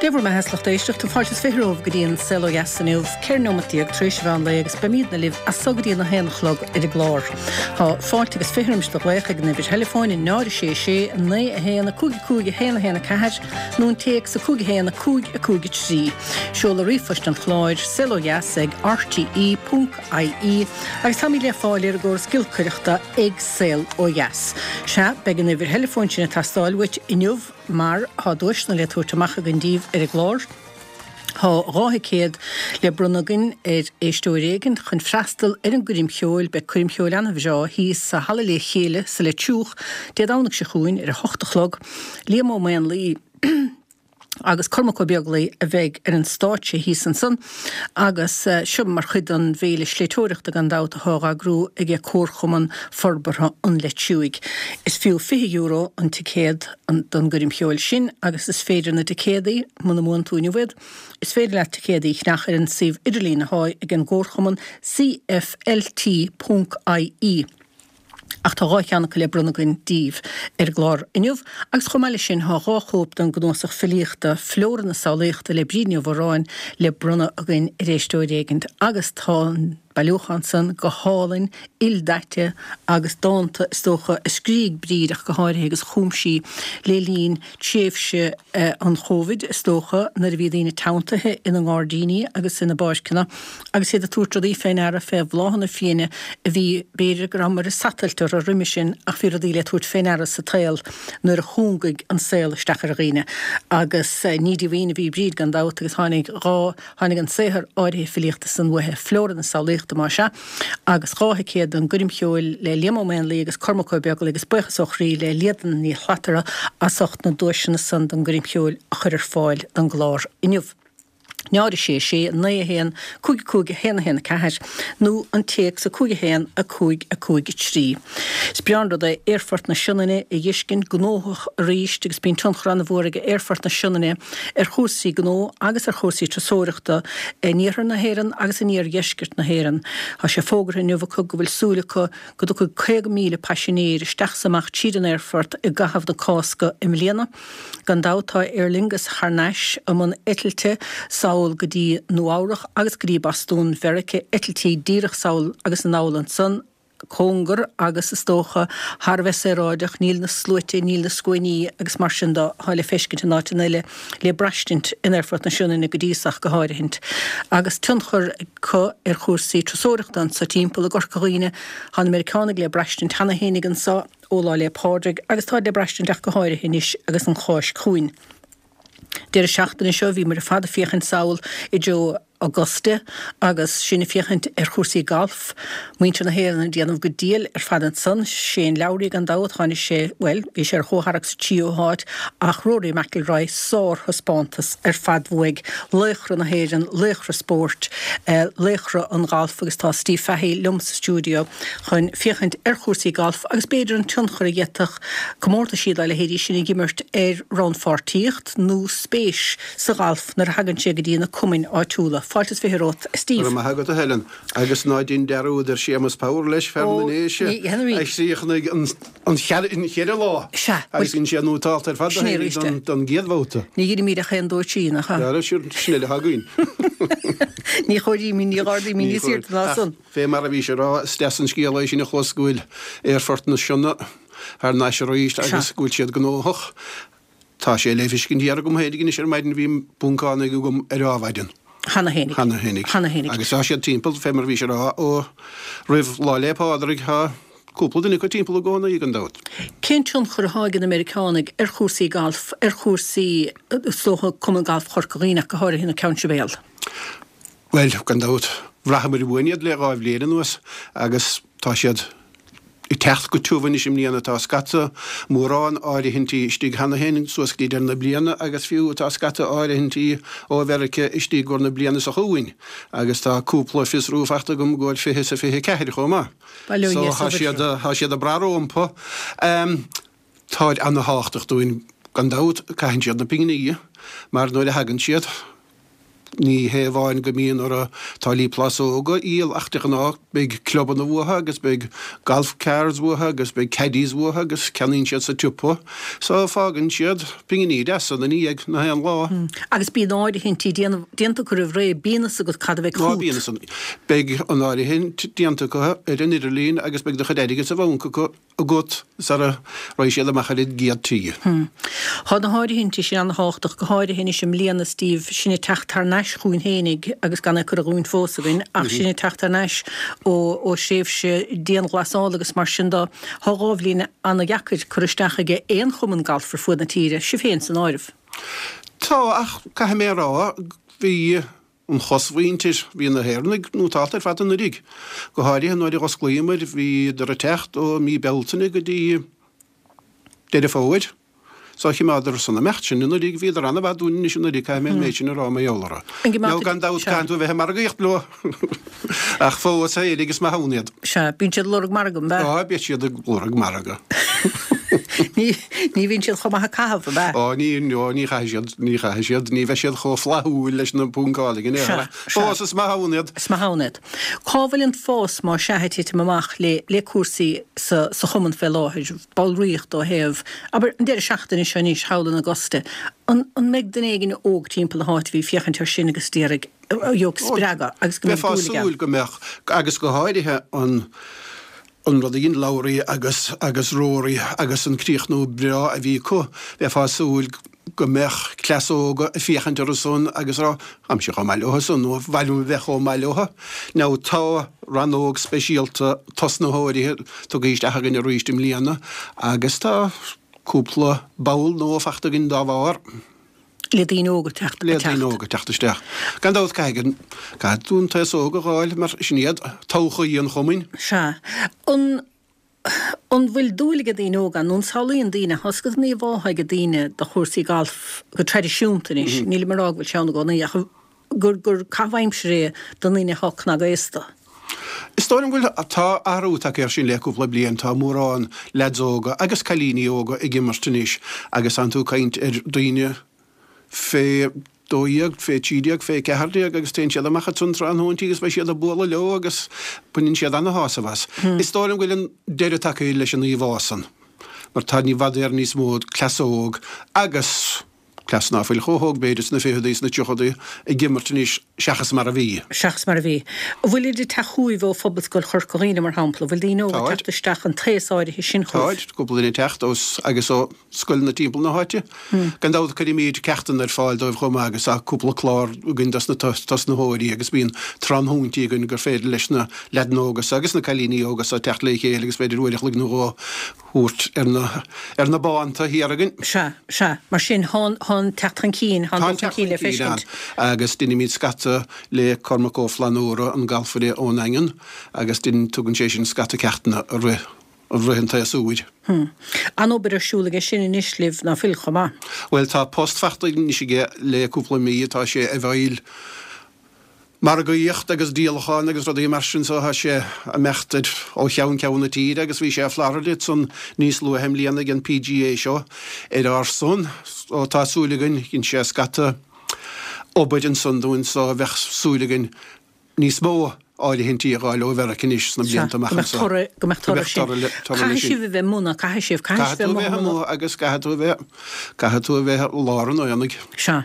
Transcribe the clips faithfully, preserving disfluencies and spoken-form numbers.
Dé bhur mbeatha, a lucht éisteachta, fáilte is fiche romhaibh go dtí an Saol Ó Dheas inniu, ceithre nóimeat déag tar éis an mheán lae agus beimidne libh as so go dtí an a haon a chlog ar an gclár. Tá fáilte agus fiche roimis do ghlaoch ag an uimhir theileafóin náid a sé sé naoi a haon a cúig a cúig a haon a haon a ceathair nó an téacs a cúig a haon a cúig a cúig a trí. Seoladh ríomhphoist an chláir, saol ó dheas ag rte ponc ie agus táimid le fáil ar an gcóras giolcaireachta ag Saol Ó Dheas. Sea, beidh an uimhir theileafóin sin ag teastáil uait inniu mar tá duaiseanna le tabhairt amach againn díbh ar an gclár. Tá dhá thicéad le bronnadh againn ar éisteoir éigin chun freastal ar an gcoirm cheoil. Beidh coirm cheoil an-bhreá thíos sa Halla Le Chéile sa Leitriúch Dé Domhnaigh seo chugainn ar a hocht a chlog. Liam Ó Maonlaí agus Cormac Ó Beaglaoi a bheidh ar an stáitse thíos ansan agus seo mar chuid den bhféile sléibhteoireachta gan dabht atá á eagrú aige Comharchumann Forbartha an Leitriúigh. Is fiú fiche euro an ticéad don gcoirm cheoil sin agus is féidir na ticéadaí, muna mbuann tú inniu iad, is féidir leat ticéadaí a cheannach ar an suíomh idirlín atá ag an gComharchumann cflt ponc ie. Ach tá dhá cheann acu le bronnadh againn díbh ar an gclár inniu agus chomh maith leis sin tá dhá chóip den gcnuasach filíochta Flóra na Samhlaíochta le Bríd Ní Mhóráin le bronnadh againn ar éisteoir éigint agus tá an bailiúchán san go hálainn, ildaite agus dánta is dócha a scrígh Bríd ach go háirithe agus a chum sí le linn tréimhse an Chóivid is dócha nuair a bhí daoine teanntaithe ina ngairdíní agus ina bpáirceanna agus iad ag tabhairt rudaí fé ndeara fé bhláthanna fiaine a bhí, b'fhéidir go rabhamar ag satailt orthu roimhe sin ach bhí rudaí le tabhairt fé ndeara sa tsaol nuair a chúngaigh an saol isteach ar dhaoine agus ní díomhaoin a bhí Bríd gan dabht agus tháinig dhá Tháinig an saothar áirithe filíochta san uaithi, Flóra na Samhlaíochta más ea, agus dhá thicéad don gcoirm cheoil le Liam Ó Maonlaí agus Cormac Ó Beaglaoi agus buíochas ó chroí le Líadan Ní Shlatara as ucht na duaiseanna san don gcoirm cheoil a chur ar fáil don gclár inniu. náid a sé sé, naoi a haon, cúig a cúig a haon a haon a ceathair nó an téacs a cúig a haon a cúig a cúig a trí. Is breá an rud é Aerfort na Sionainne a dh'fheiscint gnóthach arís agus bíonn tionchar an-mhór ag Aerfort na Sionainne ar chúrsaí gnó agus ar chúrsaí turasóireachta in iarthar na hÉireann agus in iardheisceart na hÉireann. Tá sé fógartha inniu acu go bhfuil súil acu go dtiocfaidh caoga míle paisinéir isteach 's amach tríd an aerfort i gcaitheamh na Cásca i mbliana. Gan dabht tá Aer Lingus thar n-ais i mbun eitilte sall go dtí Nua Eabhrach agus go dtí Bostún Mheirice, eitiltí díreach sall agus anall ansan. cóngar agus is dócha thar a bheith saoráideach, níl na sluaite, níl na scuainí agus mar sin de atá le feiscint in áiteanna eile le braistint in Aerfort na Sionainne go dtí so ach go háirithint. Agus tionchar acu ar chúrsaí turasóireachta anso timpeall i gCorca Dhuibhne, tá na Meiriceánaigh le braistint cheana fhéinig anso ó Lá 'le Pádraig agus táid le braistint ach go háirithe anois agus an Cháisc chugainn. Deireadh seachtaine seo bhíomar ar fad ag féachaint sall i dtreo Augusta agus sinn ag féachaint ar chúrsaí gailf. Muintir na hÉireann ag déanamh go diail ar fad ansan. Shane Lowry gan dabht, tháinig sé, bhuel, bhí sé ar chomhtharrac sa tríú háit ach Rory McIlroy, sárthaispeántas ar fad uaidh. Laochra na hÉireann, laochra spóirt, laochra an ghailf agus tá Steve Fahey liom sa stiúideo chun féachaint ar chúrsaí gailf agus b'fhéidir an tionchar a d'fhéadfadh comórtaisí dá leithéidí sin a dh'imirt ar rannpháirtíocht nó spéis sa ghalf nuair a thagann sé go dtí na cumainn áitiúla. Fáilte is fiche romhat, a Steve. Go raibh maith agat, a Helen. Agus ná dein dearúd ar Séamus Power leis, fear na nDéise, a chríochnaigh an cheithre lá agus dhein sé nótálta ar fad do féinig don gcéad bhabhta. Ní dheirimid ach aon dó trí, nach ea? Ara, sin uile atá againn. Ní chomhairímid, ní dh'ardaímid níos airde ná san. Fé mar a bhís a rá, is deas an scéal é sin a chlos go bhfuil Aerfort na Sionna thar n-ais arís agus go bhfuil siad gnóthach. Tá sé le feiscint thiar agam féinig anois ar maidin, bhí buncánaigh agam ar ádhmhaidin. Cheana fhéinig. Cheana fhéinig. Cheana fhéinig. Agus tá siad timpeall, fé mar a bhís a rá, ó roimh Lá 'le Pádraig, tá cúpla duine acu timpeall i gcónaí, gan dabht. Cén tionchar atá ag na Meiriceánaigh ar chúrsaí gailf, ar chúrsaí, is dócha, Cumann Gailf Chorca Dhuibhne ach go háirithe na Ceann Sibéal? Bhuel, gan dabht, bhraitheamair uainn iad le dhá bhliain anuas agus tá siad ag teacht go tiubh anois i mbliana. Tá scata mórán áirithintí istigh cheana féin suas go dtí deireadh na bliana agus fiú tá scata áirithintí ó Mheiriceá istigh i gcomhair na bliana seo chugainn agus tá cúpla fiosrú faighte agam i gcomhair fiche is a fiche ceathair chomh maith. So tá siad, tá siad ag brath rompu. Táid ana-thábhachtach dúinn gan dabht, caitheann siad na pinginí mar nuair a thagann siad, Ní hé amháin go mbíonn orthu táillí plásóga a dhíol ach de ghnáth beidh clubanna uathu agus beidh golf cars uathu agus beidh caddies uathu agus ceannaíonn siad sa tsiopa. So fágann siad pinginí deasa ina ndiaidh na haon lá. Agus bíonn áirithintí déanta acu roimh ré, bíonn fhios agat cad a bheidh chugat. Bíonn fhios. Beidh an áirithint déanta acu ar an idirlíon agus beidh do chuid airgid sa bhanc acu. agat sara raghaidh siad amach ar an gcéad tí. Tá na háirithintí sin an-thábhachtach, go háirithe anois i mbliana, Steve, sinn ag teacht thar n-ais chugainn fhéinig agus gan é curtha dhúinn fós againn, ach sinn ag teacht thar n-ais ó ó thréimhse dianghlasála agus mar sin de. Tá dhá bhliain an-dheacair curtha isteach ag aon chumann gailf ar fuaid na tíre, sibh féin san áireamh. Tá, ach caithfidh mé a rá, bhí an chosmhuintir, bhí na hÉireannaigh nótálta ar fad anuraidh, go háirithe nuair a dh'osclaíomar, bhíodar ag teacht ó mí Bealtaine go dtí Deireadh Fómhair. So choimeádar san imeacht sin anuraidh, bhíodar an-mhaith dúinn anois anuraidh, caithfidh mé an méid sin a rá mar gheall orthu. Nó gan dabht caithfidh tú a bheith ag margaíocht leo ach fós fhéinig is maith ann iad. Sea, bíonn siad ag lorg margadh, an ea? Á, bíonn siad ag lorg margadh. Ní ní bhíonn siad chomh maith ag caitheamh, ab ea? Ó, ní, ó, ní chaithfidh siad, ní chaithfidh siad, ní bheidh siad chomh flaithiúil leis na puncálaigh in aon chor. Sea, sea. Fós is maith ann iad. Is maith ann iad. Cá bhfuil an fás, má sea, ag titim amach le, le cúrsaí sa, sa chumann fé láthair, ballraíocht ó thaobh, abair, an deireadh seachtaine seo anois thall in Augusta, an, an mbeidh duine éigin óg timpeall na háite a bhí ag féachaint air sin agus d'iarraidh, a gheobhadh spreagadh agus go mbeadh Bheifeá dúil aige súil go mbeadh, agus go háirithe an, an rud a dhein Lowry agus agus Rory agus an críochnú breá a bhí acu, bheifeá ag súil go mbeadh cleas óga ag féachaint orthu san agus a rá, táimse chomh maith leo san nó ba mhaith liom a bheith chomh maith leo. Now tá rannóg speisialta tosnaitheoirí tugtha isteach againn arís i mbliana agus tá cúpla ball nua fachta againn dá bharr. Le daoine óga teacht Le daoine óga teacht isteach. Gan dabht caithfidh an, caithfidh tú an t-aos óg a dh'fháil mar sin iad todhchaí an chumainn. Sea. An, an bhfuil dúil ag daoine óga ann nó an samhlaíonn daoine, tá sórt íomhá ag daoine de chúrsaí gailf go traidisiúnta anois, nílim ag rá go bhfuil sé ann i gcónaí ach gur, gur caitheamh aimsire é do ndaoine atá cnagaosta. Is dóigh liom go bhfuil, tá athrú tagtha air sin le cúpla bliain, tá mórán leaids óga agus cailíní óga ag imirt anois agus tánn tú ag caint ar daoine fé dó dhéag, fé trí déag, fé ceathair déag agus téann siad amach ansan tráthnóintí agus beidh siad ag bualadh leo agus baineann siad ana-shásamh as. Is dóigh liom go bhfuil an deireadh tagtha leis an íomhá san mar tá i bhfad Éireann níos mó cleas óg agus cleas ná fuil chomh hóg b'fhéidir sna ficheadaí, sna tríochadaí ag imirt anois seachas mar a bhí. Seachas mar a bhí. An bhfuilid ag teacht chugaibh ó Phobalscoil Chorca Dhuibhne, mar shampla? An bhfuil daoine óga ag Táid. teacht isteach, an t-aos áirithe sin chugaibh? Táid, cúpla duine ag teacht ó agus ó scoileanna timpeall na háite. Gan dabht cuirimid ceachtanna ar fáil dóibh chomh maith agus tá cúpla clár againn dos na tosnaitheoirí agus bíonn tráthnóintí againn gur féidir leis na leaideanna óga so agus na cailíní óga so teacht le chéile agus b'fhéidir uair a chloig nó dhó thabhairt ar na ar na bánta thiar againn. Sea, sea. Mar sin, thá thá an teacht chun cinn, thá an Tá an dul chun teacht cinn le chun cinn ann feiscint. agus deinimid scata le Cormac Ó Flannúra, an galfaire ón nDaingean, agus dein, tugann sé sin scata ceachtanna i rith, i rith an tséasúir. Hm. An-obair ar siúl aige sin anois libh, ná fuil, chomh maith? Bhuel, tá post fachta anois aige le cúpla mí, tá sé i bhfeighil margaíocht agus díolachán agus rudaí mar sin so tá sé ag imeacht ar ó cheann ceann na tíre agus bhí sé i Florida ansan níos luaithe i mbliana ag an PGA seo ar ár son so tá súil againn dhein sé scata obair ansan dúinn so bheadh súil againn níos mó áirithintí a dh'fháil ó Mheiriceá anois sna blianta amach Go mbeadh anseo. toradh, go mbeadh Go toradh mbeadh sin. toradh le, toradh le Caithfidh sin. sibh a bheith amuigh, ná caithfidh sibh, caithfidh Caithfidh sibh tú a bheith bheith amuigh. amuigh agus caithfidh tú a bheith, caithfidh tú a bheith i lár an aonaigh. Sea.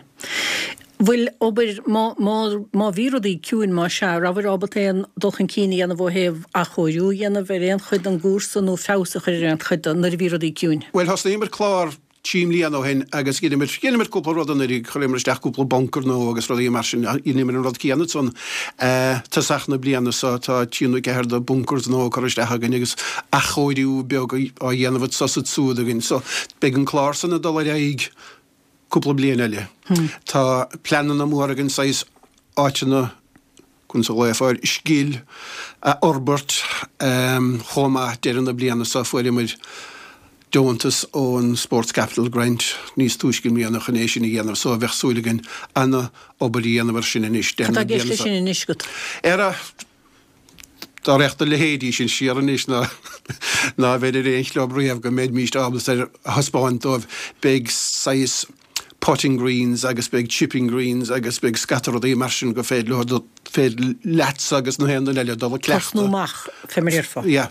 Bhfuil obair, má, má, má bhí rudaí ciúin, má sea, rabhabhair ábalta aon dul chun cinn a dhéanamh ó thaobh athchóiriú a dhéanamh ar aon chuid den gcúrsa nó feabhas a chur ar aon chuid de nuair a bhí rudaí ciúin? Bhuel, thosnaíomar clár trí mbliana ó shin agus dheineamar, dheineamar cúpla rud anuraidh, chuireamar isteach cúpla bunker nua agus rudaí mar sin, dheineamar an rud céanna ansan tosach na bliana seo, tá trí nó ceathair de bunkers nua curtha isteach againn agus athchóiriú beag á dhéanamh anso is ansúd againn. So, beidh an clár san ag dul ar aghaidh. cúpla bliain eile. Tá pleananna móra againn saghas áiteanna, conas a ghlaofá air, scil a fhorbairt chomh maith. Deireadh na bliana seo fuaireamar deontas ón Sports Capital Grant níos túisce i mbliana chun é sin a dhéanamh so bheadh súil againn ana-obair a dhéanamh ar sin anois Cad deireadh tá na i gceist bliana leis seo. sin anois agat? Ar a Dá rachadh do leithéidí sin siar anois ná ná bheinn ar aon chlub riamh go mbeimíst ábalta ar a thaispeáint dóibh. Beidh saghas putting greens agus beidh chipping greens agus beidh scata rudaí mar sin go féidir leo féidir leatsa agus na haon duine eile dul ag cleachtadh. Tosnú amach fé mar a déarfá. Yeah.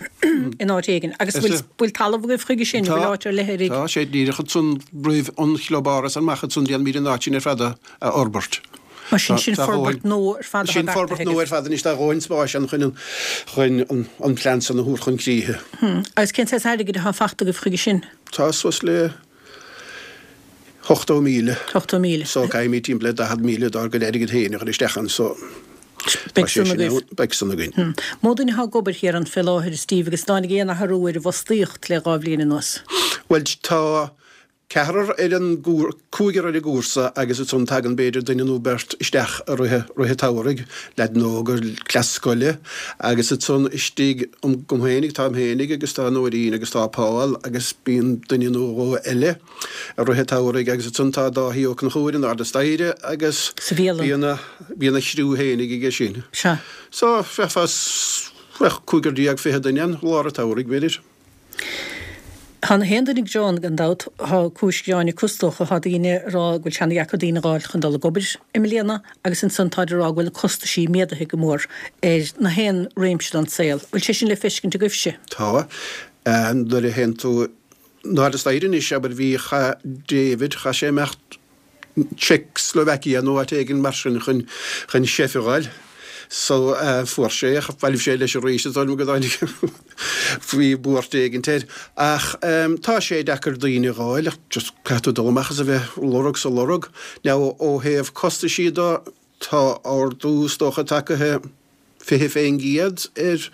In áit éigin. Agus bhfuil bhfuil talamh agaibh chuige sin, bhfuil áit ar leith Tá sé díreach ansan roimh an chlubáras amach ansan déanfaimid an áit sin ar fad a fhorbairt. Mar sin sin forbairt nua ar fad atá Sin forbairt beartaithe nua agaibh. ar fad anois tá dhóthain spáis ann chun an chun an an plean san a thabhairt chun críche. Agus cén saghas airgid atá fachta agaibh chuige sin? Tá suas le hochtó míle. Ochtó míle. So caithfimid timpeall le daichead míle dár gcuid airgid féin a chur isteach ann so tá Beidh sé san sin agaibh. ann, beidh san againn. Mó duine atá ag obair thiar ann fé láthair, Steve, agus tháinig aon athrú ar an bhfostaíocht le dhá bhliain anuas? Bhuel tá ceathrar ar an gcúr, cúigear ar an gcúrsa agus ansan tagann b'fhéidir duine nó beirt isteach i rith, rith an tsamhraidh, leaideanna óga, cleas scoile agus ansan istigh agam féinig, táim féinig agus tá Nóirín agus tá Paul agus bíonn duine nó dhó eile i rith an tsamhraidh agus ansan tá Dáithí Ó Conchúir in airde staighre agus Sa bhialann. bíonn a, bíonn a chriú féinig aige sin. Sea. So, bheifeá, bheadh cúigear déag fiche duine ann lár an tsamhraidh, b'fhéidir. Tá na haon duine ag gearán gan dabht, tá cúis ghearáin acu is dócha, tá daoine ag rá go bhfuil sé ana-dheacair daoine a dh'fháil chun dul ag obair i mbliana agus ansan táid ag rá go bhfuil na costaisí méadaithe go mór ar na haon réimse den saol. Bhfuil sé sin le feiscint agaibhse? Tá. Nuair a théann tú in airde staighre anois, abair, bhí, chaith David, chaith sé imeacht Czechoslovakia nó áit éigin mar sin chun chun chef a dh'fháil. So fuair sé, bhailigh sé leis arís is dóigh liom go dtáinig bhí buairt éigint air. Ach tá sé deacair daoine a dh'fháil ach just caithfidh tú dul amach is a bheith lorg 's a lorg. Now ó thaobh costaisí de tá ardú is dócha tagaithe fiche fén gcéad ar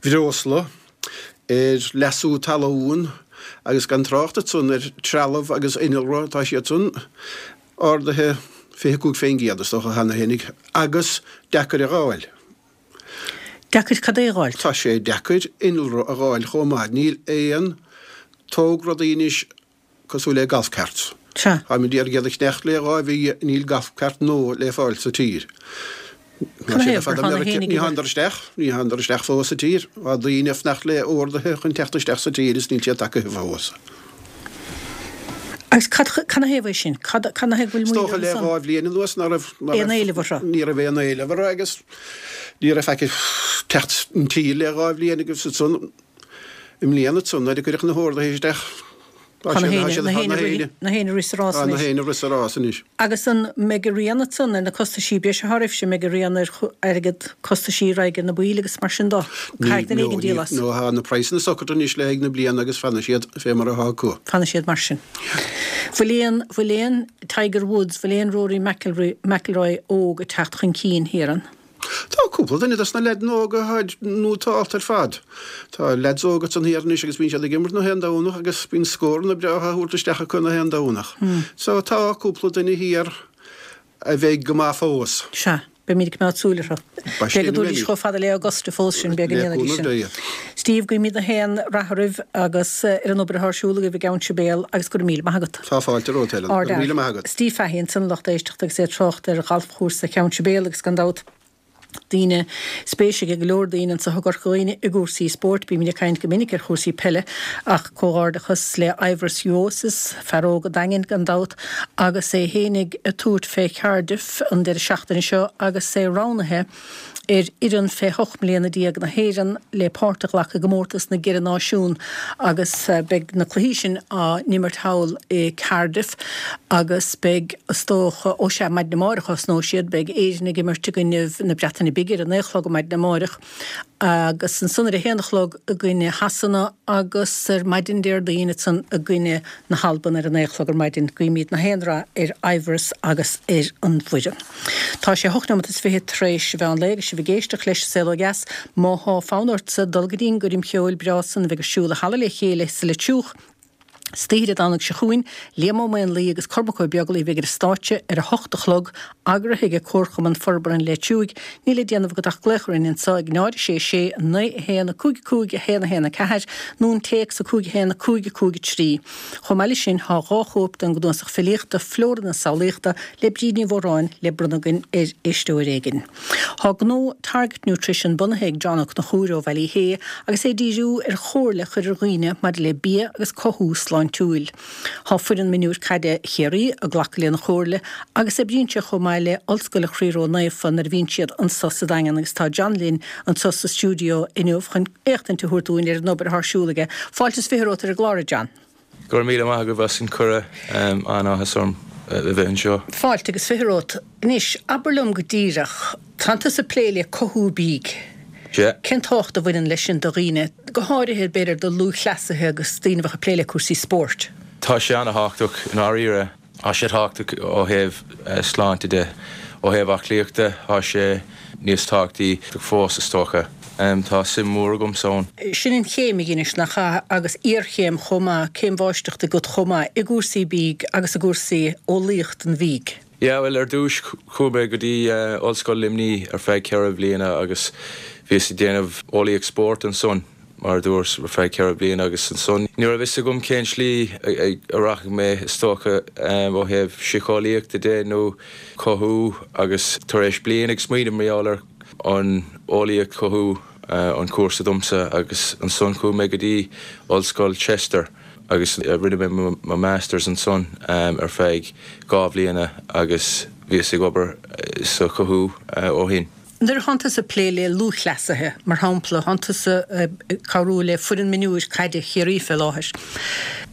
bhreosla, ar leasú talún agus gan trácht ansan ar trealamh agus innealra, tá siad san ardaithe fiche cúig fén gcéad is dócha cheana fhéinig agus deacair a dh'fháil. Deacair cad é a dh'fháil? Tá sé deacair innealra a dh'fháil chomh maith. Níl aon tóg rudaí anois cosúil le golf carts. Sea. Táimid ag iarraidh iad a cheannacht le dhá mhí, níl golf cart nua le fáil sa tír. Cad é gur tháinig Ní thánadar isteach, ní thánadar isteach fós sa tír. Tá daoine ag fanacht le orduithe chun teacht isteach sa tír is níl siad tagtha fós. Agus cad canathaobh é sin? Cad canathaobh go bhfuil Is moill dócha orthu le san? dhá bhliain anuas ná raibh ná Aon raibh éileamh orthu? ní raibh aon éileamh orthu agus ní raibh faic ag teacht an tír le dhá bhliain agus ansan i mbliana ansan nuair a cuireadh na horduithe isteach tá Tá na siad tá héinne siad na tá héinne na rith héinne na héinne rith sa rás tá na anois. héinne rith sa rás anois. Agus an mbeidh a rian ansan ar na costaisí breise atá oraibhse, mbeidh a rian ar airgead costaisí a raghaidh ar na baill agus mar sin dó? Ní Caithfidh duine no éigin ní díol as. no tá na praghsanna socraithe anois le haghaidh na bliana agus fanfaidh siad fé mar atá acu. Fanfaidh siad mar sin. Bhfuil aon bhfuil aon Tiger Woods, bhfuil aon Rory McIlroy McIlroy óg ag teacht chun cinn thiar ann? Tá cúpla duine dos na leaideanna óga atá nótálta ar fad. Tá leaids óga ansan thiar anois agus bíonn siad ag imirt na haon Domhnach agus bíonn scóranna breátha á thabhairt isteach acu na haon Domhnach. So tá cúpla duine thiar a bheidh go maith fós. Sea, beimid ag coimeád súil orthu. Ba Beidh sin go dtabharfaidís a bheimid. chomh fada le Augusta fós sin, beidh go Le ndéanfaidís cúnamh sin. Dé. Steve, guímid na haon rath oraibh agus ar an obair atá ar siúl agaibh i gCeann Sibéal agus go raibh míle maith agat. Tá fáilte romhat, Helen. Go raibh míle maith agat. Steve Fahey ansan lucht éisteachta agus é ag trácht ar ghalfchúrsa Cheann Sibéal agus gan dabht daoine, spéis ag go leor daoine anseo i gCorca Dhuibhne i gcúrsaí spóirt. Bímid ag caint go minic ar chúrsaí peile ach comhghairdeachas le Ivers Juozas, fear óg an Daingin gan dabht, agus é fhéinig ag tabhairt fé Cardiff an deireadh seachtaine seo agus é roghnaithe ar fhoireann fé hocht mbliana déag na hÉireann le páirt a ghlacadh i gcomórtas na gCeithre Náisiún agus beidh na cluichí sin á n-imirt thall i Cardiff agus beidh, is dócha, ó sea, maidin amárach a thosnóidh siad, beidh Éirinn ag imirt i gcoinnibh na Breataine Bige ar a naoi a chlog maidin amárach agus ansan ar a haon a chlog i gcoinne Shasana agus ar maidin Déardaoin ansan i gcoinne na hAlban ar a naoi a chlog ar maidin. Guímid na haon rath ar Ivers agus ar an bhfoireann. Tá sé hocht nóiméad is fiche tar éis a mheán lae agus sibh ag éisteacht leis Saol Ó Dheas. Má thá fonn ortsa dul go dtí'n gcoirm cheoil breá san a bheidh ar siúl i Halla Le Chéile sa Leitir Triúch, Istoíche Dé Domhnaigh seo chugainn, Liam Ó Maonlaí agus Cormac Ó Beaglaoich a bheidh ar an stáitse ar a hocht a chlog, eagraithe ag Comharchumann Forbartha an Leitriúigh. Níl le déanamh agat ach glaoch orainn anseo ag náid a sé sé naoi a haon a cúig a cúig a haon a haon a ceathair nó an téacs a cúig a haon a cúig a cúig a trí. Chomh maith leis sin, tá dhá chóip den gcnuasach filíochta Flóra na Samhlaíochta le Bríd Ní Mhóráin le bronnadh againn ar éisteoir éigin. Tá gnó Target Nutrition bunaithe ag John Ó Conchúir ó Bhaile Uí Shé agus é ag díriú ar chomhairle a chur ar dhaoine maidir le bia agus cothú sláintiúil. sláintiúil. Tá foireann mionúir caide Chiarraí ag glacadh lena chomhairle agus oibríonn sé chomh maith le Ollscoil an Chroí Ró-Naofa nuair a bhíonn siad anso sa Daingean agus tá John linn anso sa stiúideo inniu chun éachtaint a thabhairt dúinn ar an obair atá ar siúl aige. Fáilte is fiche romhat ar an gclár, a John. Go raibh míle maith agaibh as an cuireadh, an-áthas orm a bheith anseo. Fáilte agus fiche romhat. Anois, abair liom go díreach, tánn tusa ag plé le cothú bídh. Sea. Cén tábhacht a bhaineann leis sin do dhaoine, go háirithe b'fhéidir do lúthchleasaithe agus daoine a bheadh ag plé le cúrsaí spóirt? Tá sé an-thábhachtach i ndáiríre. Tá sé tábhachtach ó thaobh sláinte de. Ó thaobh aclaíochta, tá sé níos tábhachtaí fós, is dócha. Tá suim mhór agamsa ann. Sin an chéim a dheinis, nach ea, agus iarchéim chomh maith, céim mháistreachta agat chomh maith i gcúrsaí bídh agus i gcúrsaí eolaíocht an bhídh. Yeah, bhuel, ar dtús chuaigh mé go dtí Ollscoil Luimní ar feadh ceithre bliana agus bhíos ag déanamh eolaíocht spóirt ansan, mar a dúras, ar feadh ceithre bliana agus ansan ní raibh fhios agam cén slí a rachaidh mé, is dócha, ó thaobh síceolaíochta de nó cothú agus tar éis bliain ag smaoineamh mar gheall ar an eolaíocht cothú an cúrsa domsa agus ansan chuaigh mé go dtí Ollscoil Chester. Agus rinne mé mo Masters ansan ar feadh dhá bhliana agus bhíos ag obair sa chothú ó shin. Nuair a thánn tusa ag plé le lúthchleasaithe, mar shampla, thánn tusa ag cabhrú le foireann mionúir caide Chiarraí fé láthair,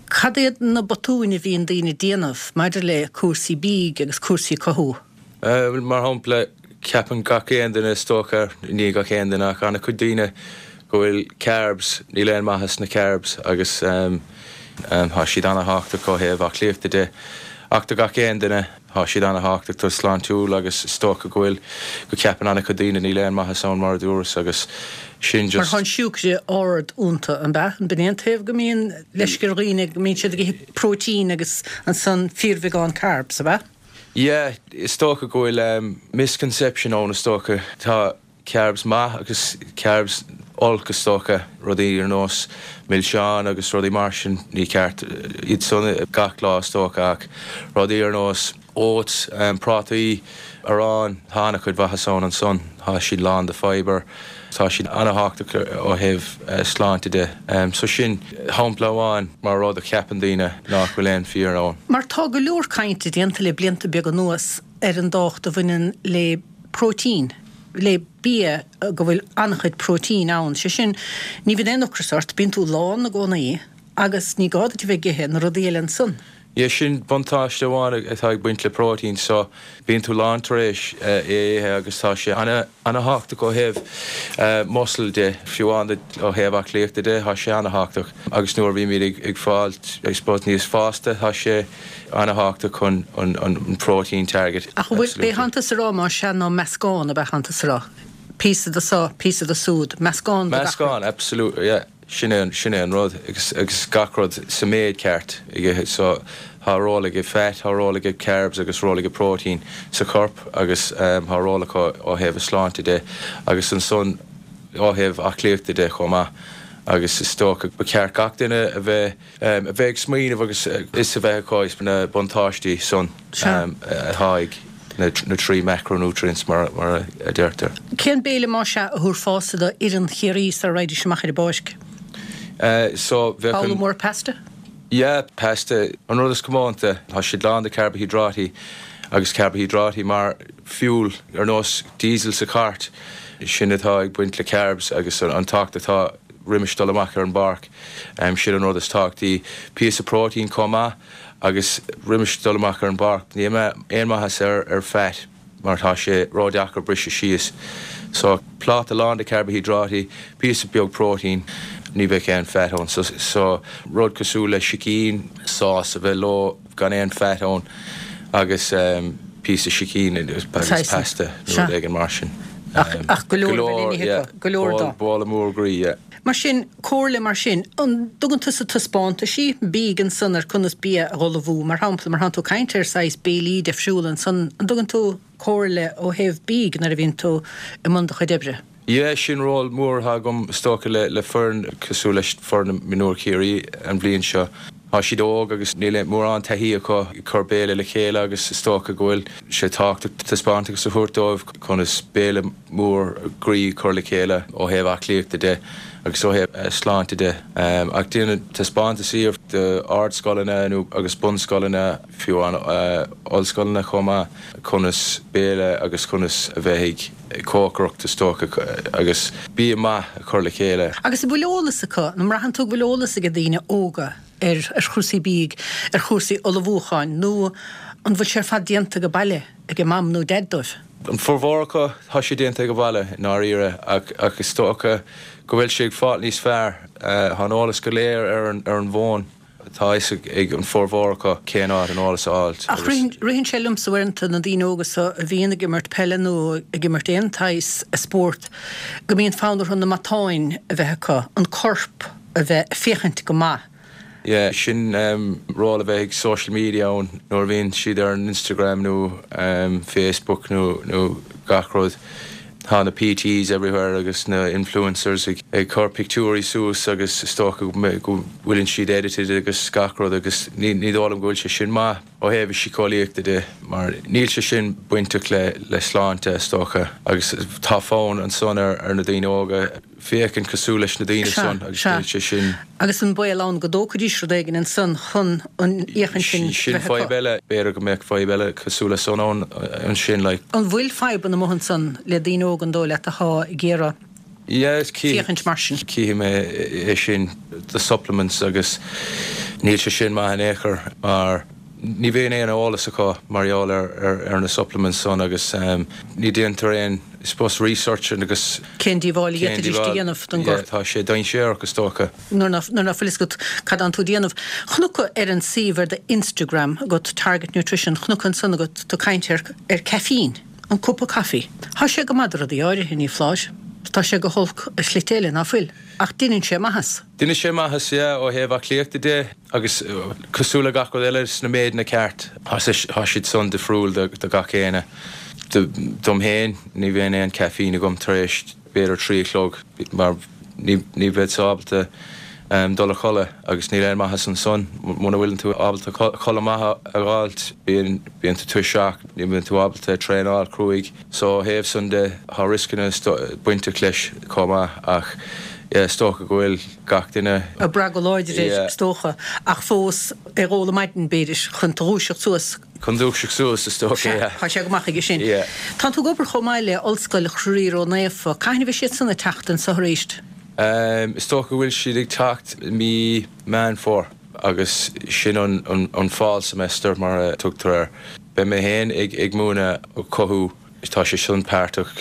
cad iad na botúin a bhíonn daoine ag déanamh maidir le cúrsaí bídh agus cúrsaí cothú? Mar shampla, ceapann gach aon duine, is dócha, ní gach aon duine ach an-chuid daoine, go bhfuil carbs, níl aon maitheas sna carbs agus tá siad ana-thábhachtach ó thaobh aclaíochta de. Ach do gach aon duine, tá siad ana-thábhachtach do sláintiúil agus is dócha go bhfuil, go ceapann an-chuid daoine níl aon maitheas ann mar a dúras agus sin Mar just. tá an siúcra ard iontu, an ea? An b'in é an taobh go mbíonn leisce ar dhaoine, go mbíonn siad ag ithe próitín agus ansan fíorbheagán carbs, ab ea? Yeah, is dócha go bhfuil misconception ann is dócha. Tá carbs maith agus carbs olc is dócha, rudaí ar nós milseáin agus rudaí mar sin, ní ceart iad san gach lá is dócha ach rudaí ar nós oats, prátaí, arán, tá an-chuid mhaitheas ann ansan, tá siad lán de fibre, tá siad an-thábhachtach ó thaobh sláinte de. So sin shampla amháin mar rud a cheapann daoine nach bhfuil aon fíor ann. Mar tá go leor cainte déanta le blianta beaga anuas ar an dtábhacht a bhaineann le próitín, le bia go bhfuil an-chuid próitín ann, sé sin, ní bhíonn aon ocras ort, bíonn tú lán i gcónaí agus ní gá duit a bheith ag ithe na rudaí eile ansan. Yeah, sin buntáiste amháin atá ag baint le próitín, so bíonn tú lán tar éis é a ithe agus tá sé ana-thábhachtach ó thaobh muscle de, fiú amháin ó thaobh aclaíochta de, tá sé ana-thábhachtach agus nuair a bhímid ag fáil, I suppose, níos fásta, tá sé ana-thábhachtach chun an protein target. Ach an bhfuil, b'é thánn tusa a rá más ea ná meascán ab ea thánn tusa a rá? Píosa de so, píosa de súd, meascán de gach rud. Meascán, absolutely, yeah. Sin é, sin é an rud agus, agus gach rud sa méid ceart ag ithe. So tá ról ag fat, tá ról ag carbs agus ról ag protein sa chorp agus tá ról acu ó thaobh a sláinte de agus ansan ó thaobh aclaíochta de chomh maith agus is dócha ba cheart gach duine a bheith a bheith ag smaoineamh agus fhios a bheith acu na buntáistí san atá ag na trí macronutrients mar mar a deirtear. Cén béile más ea a thabharfása do fhoireann Chiarraí sara raghaidís amach ar an bpáirc? So bheadh Babhla mór pasta? Yeah, pasta. An rud is comónta, tá siad lán de carbohydrate agus carbohydrate mar fuel ar nós diesel sa chairt. Sin atá ag baint le carbs agus an tábhacht atá roimis dul amach ar an bpáirc. Sin an rud is tábhachtaí. Píosa próitín chomh maith agus roimis dul amach ar an bpáirc. Níl aon maitheas ar ar fat mar tá sé ródheacair briseadh síos. So pláta lán de carbohydrate, píosa beag próitín, ní bheadh aon fat ann. So, so rud cosúil le sicín, sás a bheith leo gan aon fat ann agus um, píosa sicín agus pasta nó rud éigin mar sin. Ach, ach go leor a bheith le n-ithe acu, go leor dó. Bála mór groí, yeah. Mar sin, comhairle mar sin, an dtugann tusa taispeántaisí bídh ansan ar conas bia a dh'ullmhú, mar shampla, mar thánn tú ag caint ar saghas béilí difriúla ansan, an dtugann tú comhairle ó thaobh bídh nuair a bhíonn tú i mbun do chuid oibre? Yeah, sin ról mór atá agam is dócha le le foireann cosúil leis foireann mionúir Chiarraí an bhliain seo. Tá siad óg agus níl mórán taithí acu ag cur béile le chéile agus is dócha go bhfuil sé tábhachtach taispeántas a thabhairt dóibh conas béile mór groí a chur le chéile ó thaobh aclaíochta de agus ó thaobh sláinte de. Ach déanaim taispeántaisí d'ardscoileanna nó agus bunscoileanna fiú an ollscoileanna chomh maith conas béile agus conas a bheith ag cócaireacht is dócha agus bia maith a chur le chéile. Agus an bhfuil eolas acu, nó an mbraitheann tú go bhfuil eolas ag daoine óga ar ar chúrsaí bídh, ar chúrsaí ullmhúcháin nó an bhfuil sé ar fad déanta ag baile ag a mam nó deaid dóibh? An formhór acu tá sé déanta ag baile i ndáiríre ach ach is dócha go bhfuil sé ag fáil níos fearr. Tá an eolas go léir ar an ar an bhfón. Tá fhios ag an formhór acu cén áit an eolas a fháilt. Ach ritheann sé liomsa uaireanta na daoine óga so a bhíonn ag imirt peile nó ag imirt aon tsaghas spóirt go mbíonn fonn orthu na matáin a bheith acu, an corp a bheith ag féachaint go maith. Yeah, sin um, ról a bheith ag social media ann nuair a bhíonn siad ar an Instagram nó um, Facebook nó nó gach rud. Tá na PTs everywhere agus na influencers ag, ag cur pictiúirí suas agus is dócha go bhfuileann siad edited agus gach rud agus ní ní dóigh liom go bhfuil sé sin maith ó thaobh síceolaíochta de mar níl sé sin bainteach le le sláinte is dócha agus tá fonn ansan ar ar na daoine óga féachaint cosúil leis na daoine san agus níl sé sin. Agus an baol ann go dtógfaidís rud éigin ansan chun an fhéachaint sin Sin fadhb eile, b'fhéidir go mbeadh fadhb eile cosúil le san ann ansin like. An bhfuil fadhbanna amuigh ansan le daoine óga an dóigh leat atá ag iarraidh féachaint mar sin? Cífidh mé é sin the supplements agus níl sé sin maith in aon chor mar ní bhíonn aon eolas acu mar gheall ar ar ar na supplements san agus um, ní déantar aon I suppose research agus Cén díobháil a d'fhéadfaidís a dhéanamh don gcorp? Tá sé dainséarach is dócha. Nuair nach bhfuil fhios agat cad atánn tú a dhéanamh. Chonac ar an suíomh ar do Instagram agat Target Nutrition, chonac ansan agat tú ag caint ar ar caifín, an cupa caife. Tá sé go maith do rudaí áirithe, ní foláir. Tá sé go holc i slite eile, ná fuil? Ach deineann sé maitheas. Deineann sé maitheas, yeah, ó thaobh aclaíochta de agus cosúil le gach rud eile sna méideanna ceart. Tá siad san difriúil do gach éinne. Dom féin, ní bhíonn aon caifín agam tar éis b'fhéidir trí a chlog mar ní ní bheadh ábalta dul a chodladh agus níl aon maitheas ansan. Muna bhfuileann tú ábalta codladh maith a fháilt, bíonn bíonn tú tuirseach, ní bhíonn tú ábalta traenáil cruaidh. So ó thaobh san de tá rioscanna bainteach leis chomh maith ach yeah, is dócha go bhfuil gach duine. Ag brath go láidir air, is dócha, ach fós ag ól ar maidin b'fhéidir chun tú dhúiseacht suas. Chun dúiseacht suas, is dócha, yeah. Tá sé go maith aige sin. Yeah. Tá tú ag obair chomh maith le Ollscoil Chroí Ró-Naofa. Cathain a bheidh siad san ag teacht anso arís? Um, is dócha go bhfuil siad ag teacht mí Meán Fómhair agus sin an, an, an fall semester mar a tugtar air. Beidh mé féin ag, ag múineadh cothú Tá sé sin páirteach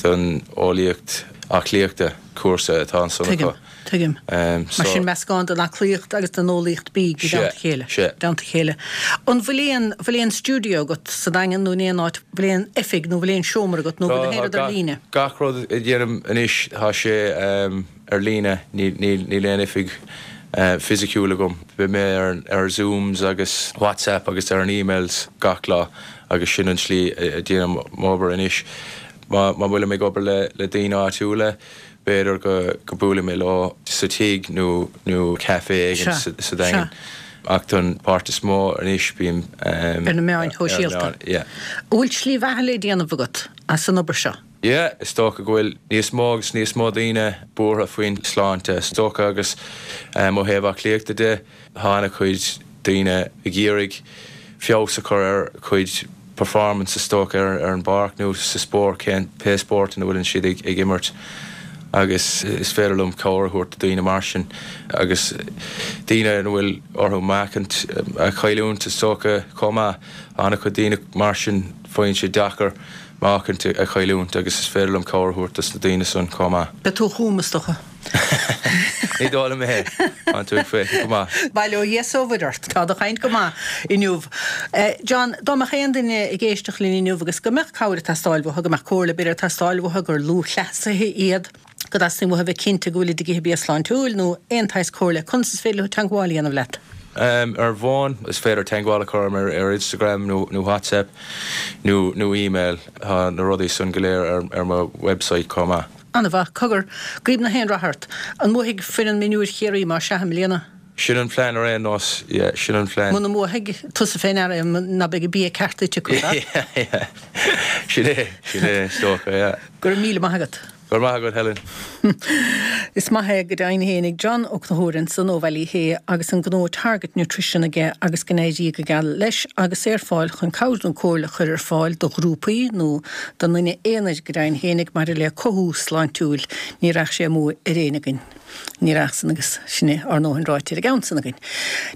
don eolaíocht aclaíochta, cúrsa atá ansan acu. Tuigim, tuigim. Mar sin meascán den aclaíocht agus den eolaíocht bídh i dteannta a chéile. Sea. dteannta a chéile. An bhfuil aon, bhfuil aon stiúideo agat sa Daingean nó in aon áit, bhfuil aon oifig nó bhfuil aon seomra agat nó bhfuil aon rud ar líne? Gach rud a dhéanaim anois tá sé ar líne, níl aon oifig fisiciúil agam. Beidh mé ar ar Zooms agus WhatsApp agus ar an emails gach lá agus sin an tslí a déanaim m'obair anois. Má má bhfuilim ag obair le le daoine áitiúla, b'fhéidir go go buailfidh mé leo sa tigh nó nó café éigin sa sa Daingean. Ach don pháirt is mó anois bím ar na meáin shóisialta. Yeah. An bhfuil slí bheatha le déanamh agat as an obair seo? Yeah, is dócha go bhfuil níos mó agus níos mó daoine buartha faoin sláinte, is dócha agus ó thaobh aclaíochta de, tá an-chuid daoine ag iarraidh feabhas a chur ar a gcuid performance is dócha ar ar an bpáirc nó sa spórt, cén pé spórt ina bhfuileann siad ag ag imirt agus is féidir liom cabhair a thabhairt do daoine mar sin agus daoine ina bhfuil orthu meáchan a chailliúint is dócha chomh maith. An-chuid daoine mar sin faigheann sé deacair meáchan a chailliúint agus is féidir liom cabhair a thabhairt dos na daoine san chomh maith. Beidh tú chugam is dócha. Ní dóigh liom é. Tá tú ag féachaint go maith. Bail ó Dhia 's ó Mhuire ort. Tá do chaint go maith inniu. John, dá mbeadh aon duine ag éisteacht linn inniu agus go mbeadh cabhair ag teastáil uathu, go mbeadh comhairle b'fhéidir ag teastáil uathu, gur lúthchleasaithe iad, go dteastaíonn uathu a bheith cinnte go bhfuilid ag ithe bia sláintiúil nó aon tsaghas comhairle, conas is féidir leo teagmháil a dhéanamh leat? Ar an bhfón, is féidir teagmháil a chur orm ar Instagram nó nó WhatsApp nó nó email. Tá na rudaí san go léir ar ar mo website chomh maith. An-mhaith. Cogar, guím gach aon rath ort. An mbuafaidh foireann mionúir Chiarraí más ea i mbliana? Sin an plean ar aon nós, yeah, sin an plean. Muna mbuafaidh, tusa fé ndeara é, ná beidh an bia ceart ite acu, Yeah, yeah. Sin é, sin é, is dócha, yeah. Go raibh míle maith agat. Go raibh maith agat, Helen. Is maith é go deimhin fhéinig John Ó Conchúir ansan ó Bhaile Uí Shé agus an gnó Target Nutrition aige agus go n-éirí go geal leis agus é ar fáil chun cabhair nó comhairle a chur ar fáil do ghrúpaí nó don duine aonair go deimhin fhéinig maidir le cothú sláintiúil. Ní raghadh sé amú ar éinne againn. Ní raghadh san agus sin é ár ndóthain ráite ar an gceann san againn.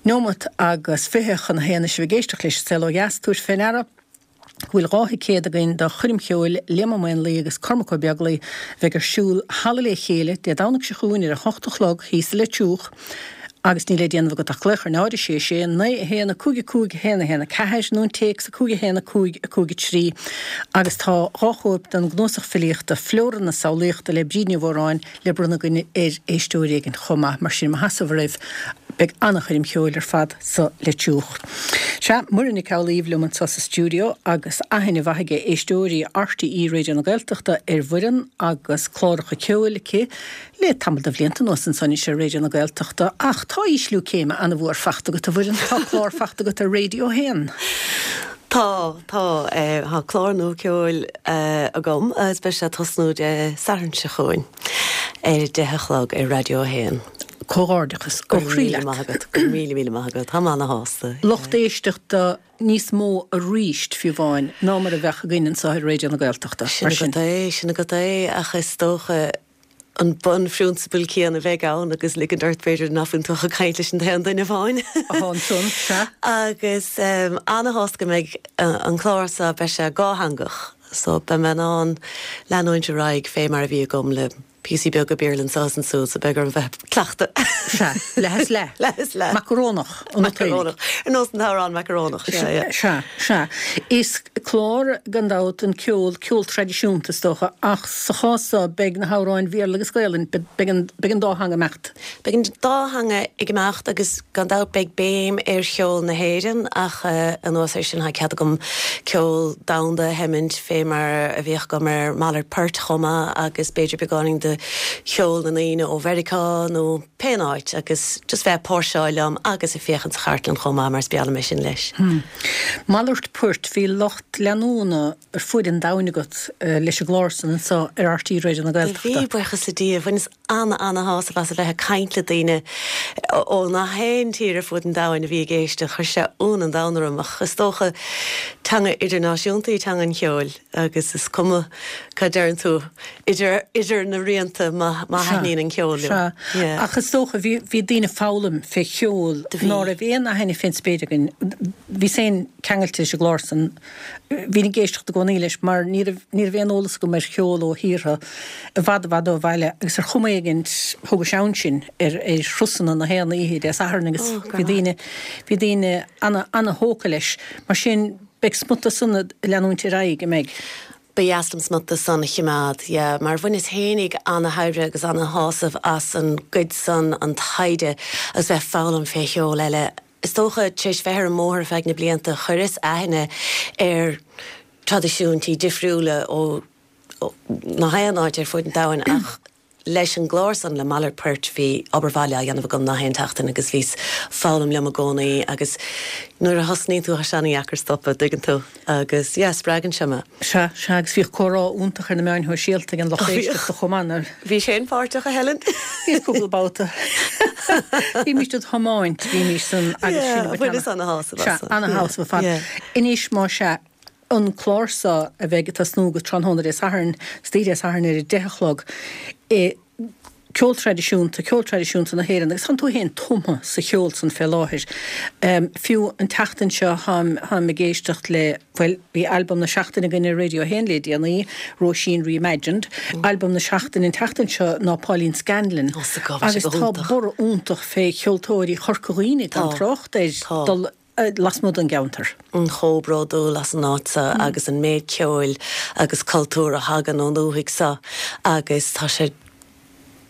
Neomat agus fiche chun a haon is sibh ag éisteacht leis an Saol Ó Dheas, tabhair fé ndeara go bhfuil dhá thicéad againn do choirm cheoil Liam Ó Maonlaí agus Cormac Ó Beaglaoi a bheidh ar siúl thall i Lé Chéile Dé Domhnaigh seo chugainn ar a hocht a chlog thíos i Leitriúch agus níl le déanamh agat ach glaoch ar náid a sé sé naoi a haon a cúig a cúig a haon a haon a ceathair nó an téacs a cúig a haon a cúig a cúig a trí agus tá dhá chóip den gcnuasach filíochta Flóra na Samhlaíochta le Bríd Ní Mhóráin le bronnadh againn ar éisteoir éigin chomh maith mar sin mo sheasamh oraibh Beidh an-choirm cheoil ar fad sa Leitriúch. Sea, Muireann Nic Amhlaoibh liom anseo sa stiúideo agus aithne mhaith ag éisteoirí RTÉ Raidió na Gaeltachta ar Mhuireann agus cláracha ceoil aici le tamall de bhlianta anuas ansan anois ar Raidió na Gaeltachta. Ach tá ísliú céime an-mhór fachta agat, a Mhuireann, tá clár fachta agat ar Raidió a haon. Tá, tá. Tá clár nua ceoil agam agus beidh sé ag tosnú Dé Sathairn seo chugainn ar a deich a chlog ar Raidió a haon. Comhghairdeachas ó chroí leat. Go raibh míle maith agat, go raibh míle míle maith agat. Táim ana-shásta. Lucht éisteachta níos mó arís, fiú amháin, ná mar a bheadh againn anseo ar Raidió na Gaeltachta. Sin agat é, sin agat é, ach is dócha an bunphrionsabal céanna a bheidh ann agus ligint ort b'fhéidir nach bhfuil tú ach ag caint leis an t-aon duine amháin. Atá ansan, sea. Agus ana-shásta go mbeidh an clár seo, beidh sé dhátheangach, so beidh mé in ann leanúint ar aghaidh fé mar a bhí agam le píosaí beaga Béarla anso is ansúd, so beidh orm bheith ag cleachtadh. Sea, leath is leath. Leath is leath. Macarónach, an Macarónach. Ar nós an t-amhrán Macarónach, sea, yeah. Sea, sea. Is clár, gan dabht, an ceol, ceol traidisiúnta is dócha, ach sa chás seo beidh na hamhráin Bhéarla agus Gaelainn, beidh an, beidh an dá theanga ag imeacht. Beidh an dá theanga ag imeacht agus gan dabht beidh béim ar cheol na hÉireann ach anuas air sin tá cead agam ceol domhanda a sheimint fé mar a bhíodh agam ar Malairt Poirt chomh maith agus b'fhéidir beagáinín de cheol na ndaoine ó Mheiriceá nó pé áit agus just bheith ag póirseáil liom agus ag féachaint sa chartlann chomh maith mar is breá liom é sin leis. Malairt Poirt, bhí lucht leanúna ar fuaid an domhain agat leis an gclár san anseo ar RTÉ Raidió na Gaeltachta. Bhí, buíochas le Dia. Bhaineas ana-ana-shásamh as a bheith ag caint le daoine ó nach aon tír ar fud an domhain a bhí ag éisteacht. Chuir sé ionadh an domhain orm ach is dócha teanga idirnáisiúnta í teanga an cheoil agus is cuma cad deireann tú idir idir na rianta má má thaitníonn an ceol leo. Sea. Yeah. Ach is dócha bhí bhí daoine ag foghlaim fé cheol Do bhí. ná raibh aon aithne fén spéir againn. Bhíos féin ceangailte leis an gclár san. Bhínn ag éisteacht i gcónaí leis mar ní raibh ní raibh aon eolas agam ar cheol ó thíortha i bhfad i bhfad ó bhaile agus ar chuma éigint thugais ann sinn ar ar thrusanna na haon oíche Dé Sathairn agus Ó, go bhí raibh maith. daoine bhí daoine ana ana-thógtha leis. Mar sin beidh smut de san ag leanúint ar aghaidh, an mbeidh? Ba dheas liom smut de san a chimeád, yeah, mar bhaineas fhéinig ana-thairbhe agus ana-shásamh as an gcuid san, an taighde agus bheith ag foghlaim fé cheol eile. Is dócha, tar éis bheith ar an mbóthar ar feadh na blianta, chuireas aithne ar traidisiúintí difriúla ó nach aon áit ar fud an domhain ach leis an gclár san, le Malairt Poirt, bhí obair bhaile á dhéanamh agam nach aon tseachtain agus bhíos ag foghlaim liom i gcónaí agus nuair a thosnaíonn tú tá sé ana-dheacair stopadh, dtuigeann tú, agus yeah, spreagann sé mé. Sea, sea, agus bhíodh comhrá iontach ar na meáin shóisialta ag an lucht éisteachta chomh maith, nuair. Bhís féin páirteach, a Helen? Bhíos cúpla babhta. Bhímís ag tiomáint, bhímís san agus sin Yeah, bhaineas ana-shásamh as Sea, san. ana-shásamh ar fad. Yeah. Anois, má sea, an clár seo a bheidh ag tosnú go tráthnóna Dé Sathairn, istoíche Dé Sathairn ar a deich a chlog, i ceol traidisiúnta, ceol traidisiúnta na hÉireann agus tánn tú féin tumtha sa cheol san fé láthair. Fiú an tseachtain seo táim, táim ag éisteacht le, bhuel, bhí albam na seachtaine againn ar Radio a haon le déanaí, Róisín Reimagined. Albam na seachtaine an tseachtain seo ná Pauline Scanlon. Tá Agus tá borradh iontach fé cheoltóirí Chorca Dhuibhne gan Tá. trácht ar Tá. dul lasmuigh den gceantar. chomh bródúil as an áit seo agus an méid ceoil agus cultúr a thagann ón dúthaigh seo agus tá sé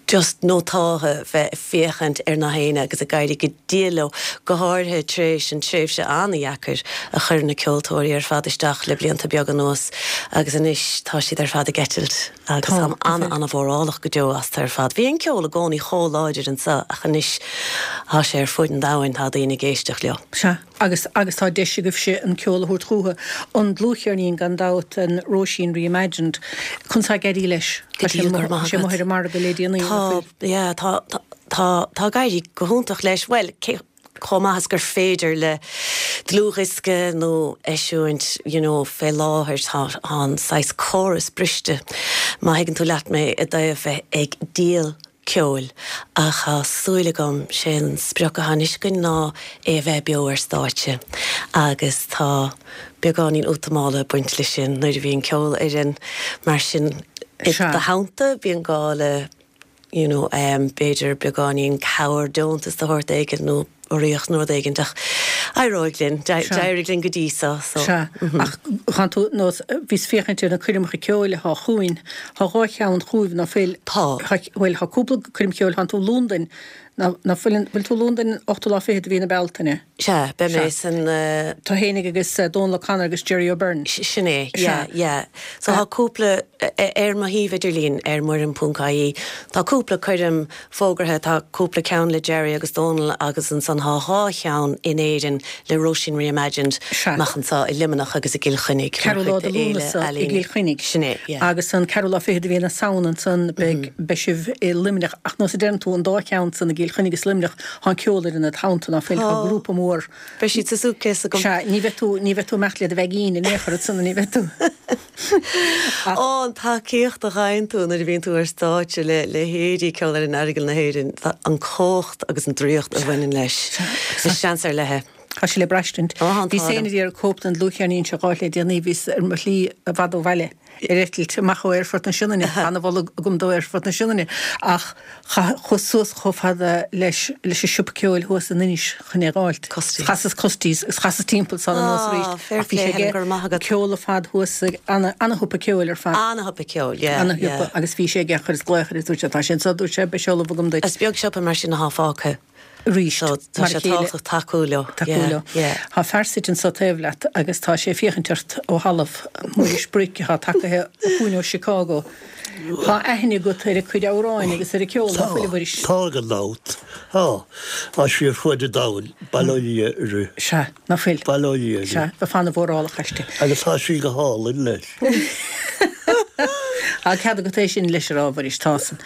just nótáltha bheith ag féachaint ar na héinne agus ag éirí go diail leo, go háirithe tar éis an tréimhse an-dheacair a chuir na ceoltóirí ar fad isteach le blianta beaga anuas agus anois tá siad ar fad ag eitilt agus Tá, táim an-an-mhórálach go deo astu ar fad. Bhí an ceol i gcónaí chomh láidir anseo ach anois tá sé ar fud an domhain, tá daoine ag éisteacht leo. Sea, agus agus tá deis agaibhse an ceol a thabhairt chucu. An dlúthcheirnín gan dabht, an Róisín Reimagined, conas atá ag éirí leis? Go Tá sé dtí go raibh maith sé agat. amuigh ar an margadh le déanaí. Tá, yeah, tá, tá, tá, tá ag éirí go hiontach leis, well, cé chomh maith is gur féidir le dlúthdhiosca nó eisiúint, you know, fé láthair tá an saghas córas briste. Má thuigeann tú leat mé i dtaobh bheith ag díol ceoil ach tá súil agam sé an sprioc atá anois againn ná é a bheith beo ar stáitse agus tá beagáinín útamála ag baint leis sin nuair a bhíonn ceolfhoireann mar sin i Sea. do theannta bíonn gá le you know, um, b'fhéidir beagáinín cabhair deontas de shórt éigin nó urraíocht nó rud éigin ach éireoidh linn, d'éirigh linn go dtí so. so. Sea, ach chan tú nós bhíos féachaint ar na coirmeacha ceoil atá chugainn, Tá dhá cheann chugaibh ná fuil Tá. bhfuil tá cúpla coirm cheoil tánn tú Londain ná ná fuil bhfuil tú Londain ochtú lá fichead de mhí na Bealtaine. Sea, beidh mé san uh, Tú fhéinig agus uh, Donal O'Connor agus Jerry O'Byrne. sin é, yeah, yeah. So tá cúpla ar mo shuíomh idirlín ar muireann ponc ie. Tá cúpla coirm fógartha tá cúpla ceann le Jerry agus Donal agus ansan tá dhá cheann in Éirinn le Róisín Reimagined Sea. amach anseo i Luimneach agus i gCill Chainnigh. Ceathrú lá de Lúnasa i gCill Chainnigh. Sin é, yeah. Agus an ceathrú lá fichead de mhí na Samhna ansan beidh beidh sibh i Luimneach ach nós a deireann tú an dá cheann san i gCill Chainnigh agus Luimneach tá ceolfhoireann id theannta ná fuil tá grúpa mór. Beidh siad sa suitcase agam. Sea, ní bheidh tú ní bheidh tú amach le do bheaigín in aon chor san ní bheidh tú. Ó an tacaíocht a fhaigheann tú nuair a bhíonn tú ar stáitse le leithéidí Ceolfhoireann Aireagail na hÉireann an cumhacht agus an draíocht a bhaineann leis. Is seans ar leith. Tá sé le braistint. Ó, an Bhí t-ádh. féin ar cóip den dlúthcheirnín seo dhá le déanaí bhíos ar mo shlí i bhfad ó bhaile ar eitilt amach ó Aerfort na Sionainne, an-mholadh agam do Aerfort na Sionainne ach chuas suas chomh fada leis leis an siopa ceoil thuas in Inis chun é fháilt. Custies. Chasas Custies agus chasas timpeall san anuas Ah, arís. fair Ach bhí sé play, Helen, aige go raibh maith agat. ceol ar fad thuas ag ana ana-shiopa ceoil ar fad. Ana-shiopa ceoil, yeah. Ana-shiopa yeah. agus bhí sé aige chuir is glaoch ar dúirt sé tá sin so dúirt sé beidh seoladh agam duit Is beag siopa mar sin atá fágtha. arís. So tá mar sé a chéile. tábhachtach tacú leo. Tacú leo. Yeah. Tá fear suite anso taobh leat agus tá sé féachaint ort ó thalamh Muiris Bric atá tagtha chugainn ó Chicago. Tá aithne agat ar a cuid amhráin agus ar a ceol ná fuil a Mhuiris. Tá gan dabht. Tá Tá sí ar fud an domhain bail ó Dhia uirthi. Sea, ná fuil. Bail ó Dhia uirthi. Sea, ba fan mhórálach aisti. Agus tá sí go hálainn leis. Tá cead agat é sin leis ar ábhar tásan.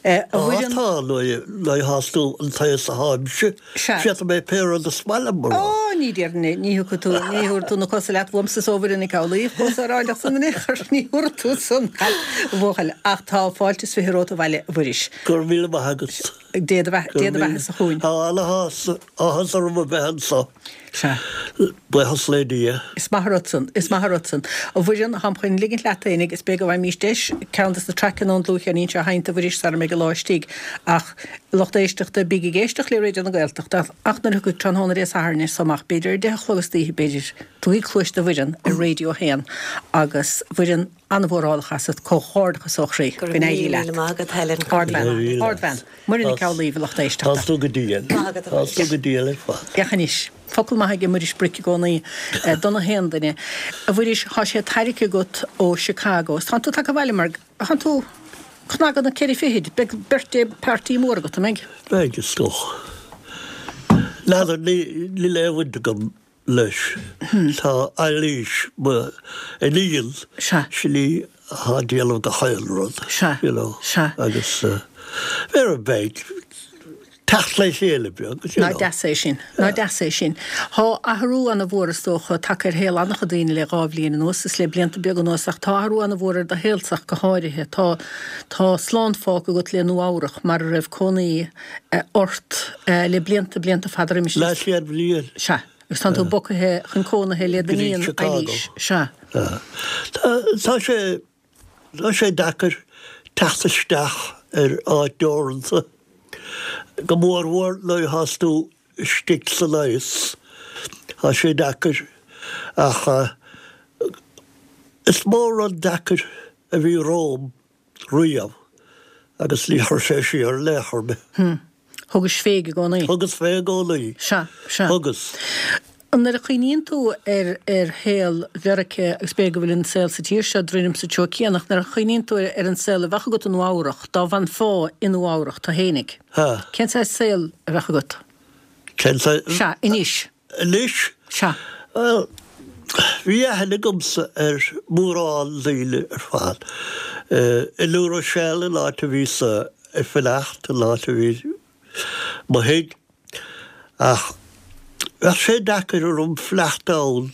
Tá tá le hastú an taos a háimse. Sea. Fiat mé pé de smaile mar. Ó ní déarfainn ní thugann tú ní thuir tú na cosa leat bham sa sóbhar in cálaíh chos aráideach san chur ní thuir tú san bhchail ach tá fáilte is fiche romhat abhaile a Mhuiris. Gur míle maith agat. Dé do bheatha sa chugainn. Tá an-áthas orm a bheith anseo. Sea. Buíochas le Dia. Is maith rud san, is maith rud san. A Mhuireann táim chun ligint leat fhéinig is b'fhéidir go bhfaighimís deis ceann de na traiceanna ón dlúthcheirnín seo a sheinnt a Mhuiris sara mbeidh an lá istigh ach lucht éisteachta bígí ag éisteacht le Raidió na Gaeltachta ach nuair a thiocfaidh tráthnóna Dé Sathairn so amach b'fhéidir ar deich a chlog istoíche b'fhéidir tugaigí cluas do Mhuireann ar Raidió a haon agus Mhuireann an-mhórálach asat comhghairdeachas ó chroí. Go Go n-éirí míle leat. maith agat Helen. Ardbhean, Go Ardbhean. Muireann Nic Amhlaoibh lucht éisteachta. Tá tú go diail. Maith agat, Tá tú go diail ar fad. Ceachainis. Focal maith ag Muiris Bric i gcónaí don haon duine. A Mhuiris tá sé tairgthe agat ó Chicago. Tá tú tagtha abhaile mar tá tú cnagan na ceithre fichid, beidh birthday party mór agat an mbeidh. Beidh is dócha. N'fheadar ní le bhaint agam leis. Tá Eilís iníon Sea. sin í atá ag déanamh gach aon rud. Sea. You know. Sea. Agus ar a beidh teacht le chéile beag. you Ná know. deas é sin, ná deas é sin. Tá athrú an-mhór is dócha tagtha ar shaol an-chuid daoine le dhá bhliain anuas is le blianta beaga anuas ach tá athrú an-mhór ar do shaolsa go háirithe. Tá tá slán fágtha agat le Nua Eabhrac mar a raibh cónaí eh, ort eh, le blianta blianta fada roimis. Leathchéad bliain. Sea, agus tá tú bogtha chun cónaithe le Go dtí d'iníon Chicago. Eilís. Sea. Tá tá sé tá sé deacair teacht isteach ar áit deoranta. Go mórmhór nuair atá tú istigh sa leigheas. Tá sé deacair ach uh, is mór an deacair a bhí romham riamh agus ní chuir sé siar le chor mé. Thugais fé i gcónaí. Thugas fé i gcónaí. Sea, sea. Thugas. Nuair a chuimhníonn tú ar ar shaol Mheiriceá agus b'fhéidir go bhfuil an saol sa tír seo droim sa treo céanna, nuair a chuimhníonn tú ar an saol a bheadh agat i Nua Eabhrac, dá bhfanfá i Nua Eabhrac tú fhéinig. Ha. Cén saghas saol a bheadh agat? Cén saghas Sea, anois. Anois? Sea. Well, bhí aithne agamsa ar mórán daoine ar fad. I New Rochelle an áit a bhíos ag fanacht, an áit a bhí mo thigh. Ach bheadh sé deacair orm fanacht ann